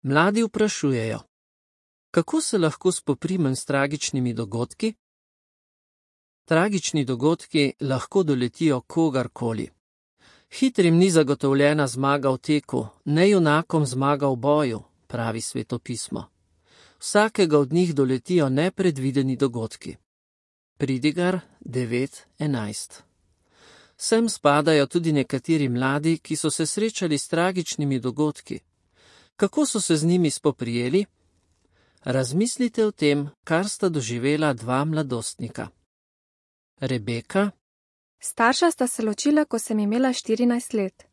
Mladi vprašujejo: kako se lahko spoprimem s tragičnimi dogodki? Tragični dogodki lahko doletijo kogarkoli. Hitrim ni zagotovljena zmaga v teku, ne junakom zmaga v boju, pravi svetopismo. Vsakega od njih doletijo nepredvideni dogodki. Pridigar 9:11. Sem spadajo tudi nekateri mladi, ki so se srečali s tragičnimi dogodki. Kako so se z njimi spoprijeli? Razmislite o tem, kar sta doživela dva mladostnika. Rebeka: Starša sta se ločila, ko sem imela 14 let.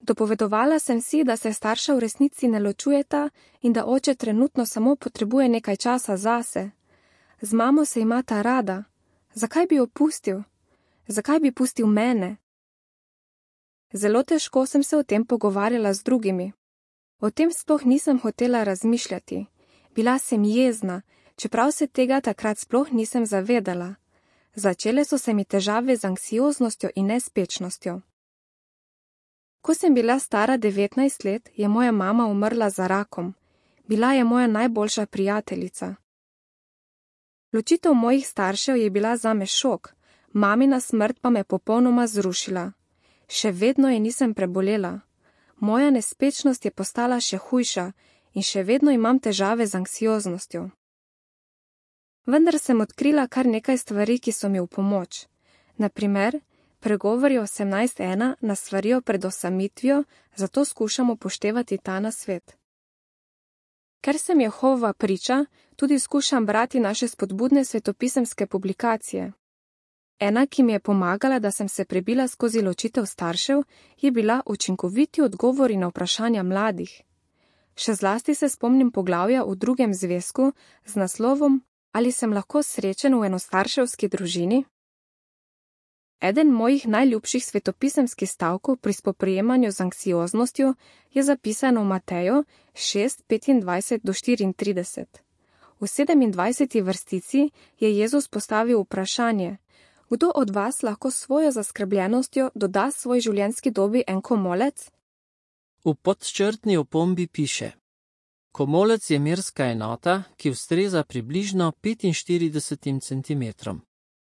Dopovedovala sem si, da se starša v resnici ne ločujeta in da oče trenutno samo potrebuje nekaj časa zase. Z mamo se imata rada. Zakaj bi jo pustil? Zakaj bi pustil mene? Zelo težko sem se o tem pogovarjala z drugimi. O tem sploh nisem hotela razmišljati. Bila sem jezna, čeprav se tega takrat sploh nisem zavedala. Začele so se mi težave z anksioznostjo in nespečnostjo. Ko sem bila stara 19 let, je moja mama umrla za rakom. Bila je moja najboljša prijateljica. Ločitev mojih staršev je bila zame šok, mamina smrt pa me popolnoma zrušila. Še vedno je nisem prebolela. Moja nespečnost je postala še hujša in še vedno imam težave z anksioznostjo. Vendar sem odkrila kar nekaj stvari, ki so mi v pomoč. Naprimer, pregovori 18:1 nas svarijo pred osamitvijo, zato skušamo upoštevati ta nasvet. Ker sem Jehova priča, tudi skušam brati naše spodbudne svetopisemske publikacije. Ena, ki mi je pomagala, da sem se prebila skozi ločitev staršev, je bila učinkoviti odgovori na vprašanja mladih. Še zlasti se spomnim poglavja v 2. zvezku z naslovom Ali sem lahko srečen v enostarševski družini? Eden mojih najljubših svetopisemskih stavkov pri spoprijemanju z anksioznostjo je zapisano v Mateju 6:25-34. V 27. vrstici je Jezus postavil vprašanje: Kdo od vas lahko svojo zaskrbljenostjo doda svoj življenjski dobi en komolec? V podčrtni opombi piše: komolec je merska enota, ki ustreza približno 45 centimetrom.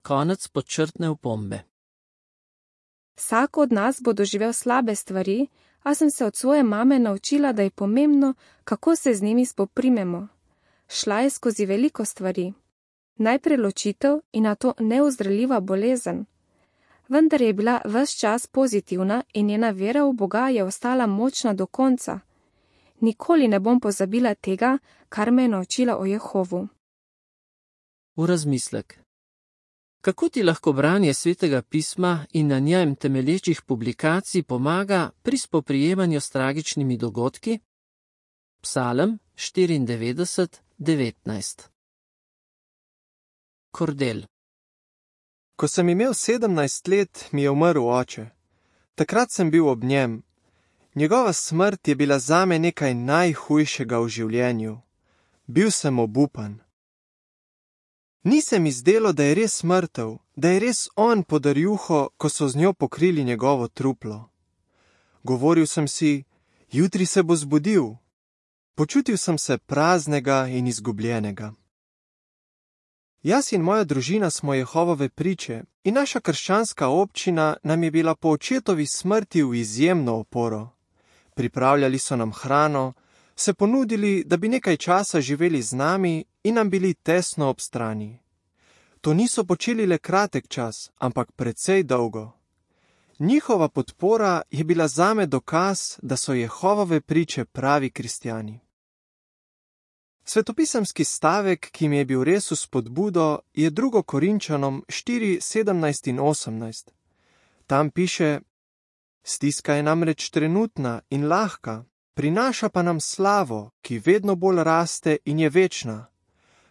Konec podčrtne opombe. Vsak od nas bo doživel slabe stvari, a sem se od svoje mame naučila, da je pomembno, kako se z njimi spoprimemo. Šla je skozi veliko stvari. Najprej ločitev in nato neozdravljiva bolezen. Vendar je bila ves čas pozitivna in njena vera v Boga je ostala močna do konca. Nikoli ne bom pozabila tega, kar me je naučila o Jehovu. V razmislek. Kako ti lahko branje Svetega pisma in na njem temelječih publikacij pomaga pri spoprijemanju s tragičnimi dogodki? Psalem 94:19. Kordel. Ko sem imel 17 let, mi je umrl oče. Takrat sem bil ob njem. Njegova smrt je bila zame nekaj najhujšega v življenju. Bil sem obupan. Ni se mi zdelo, da je res mrtev, da je res on podar juho, ko so z njo pokrili njegovo truplo. Govoril sem si, jutri se bo zbudil. Počutil sem se praznega in izgubljenega. Jaz in moja družina smo Jehovove priče in naša krščanska občina nam je bila po očetovi smrti v izjemno oporo. Pripravljali so nam hrano, se ponudili, da bi nekaj časa živeli z nami in nam bili tesno ob strani. To niso počeli le kratek čas, ampak precej dolgo. Njihova podpora je bila zame dokaz, da so Jehovove priče pravi kristjani. Svetopisemski stavek, ki mi je bil res v spodbudo, je 2. Korinčanom 4:17 in 18. Tam piše: Stiska je namreč trenutna in lahka, prinaša pa nam slavo, ki vedno bolj raste in je večna.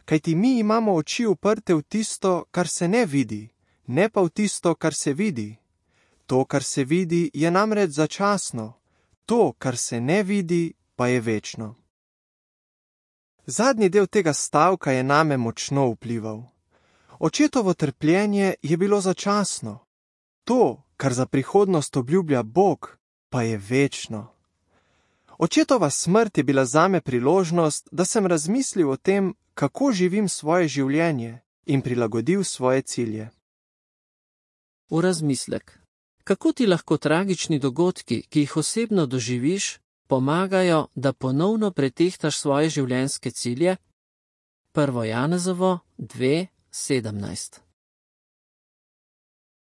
Kajti mi imamo oči uprte v tisto, kar se ne vidi, ne pa v tisto, kar se vidi. To, kar se vidi, je namreč začasno, to, kar se ne vidi, pa je večno. Zadnji del tega stavka je name močno vplival. Očetovo trpljenje je bilo začasno. To, kar za prihodnost obljublja Bog, pa je večno. Očetova smrt je bila zame priložnost, da sem razmislil o tem, kako živim svoje življenje in prilagodil svoje cilje. V razmislek. Kako ti lahko tragični dogodki, ki jih osebno doživiš, pomagajo, da ponovno pretehtaš svoje življenjske cilje? 1. Janezovo 2:17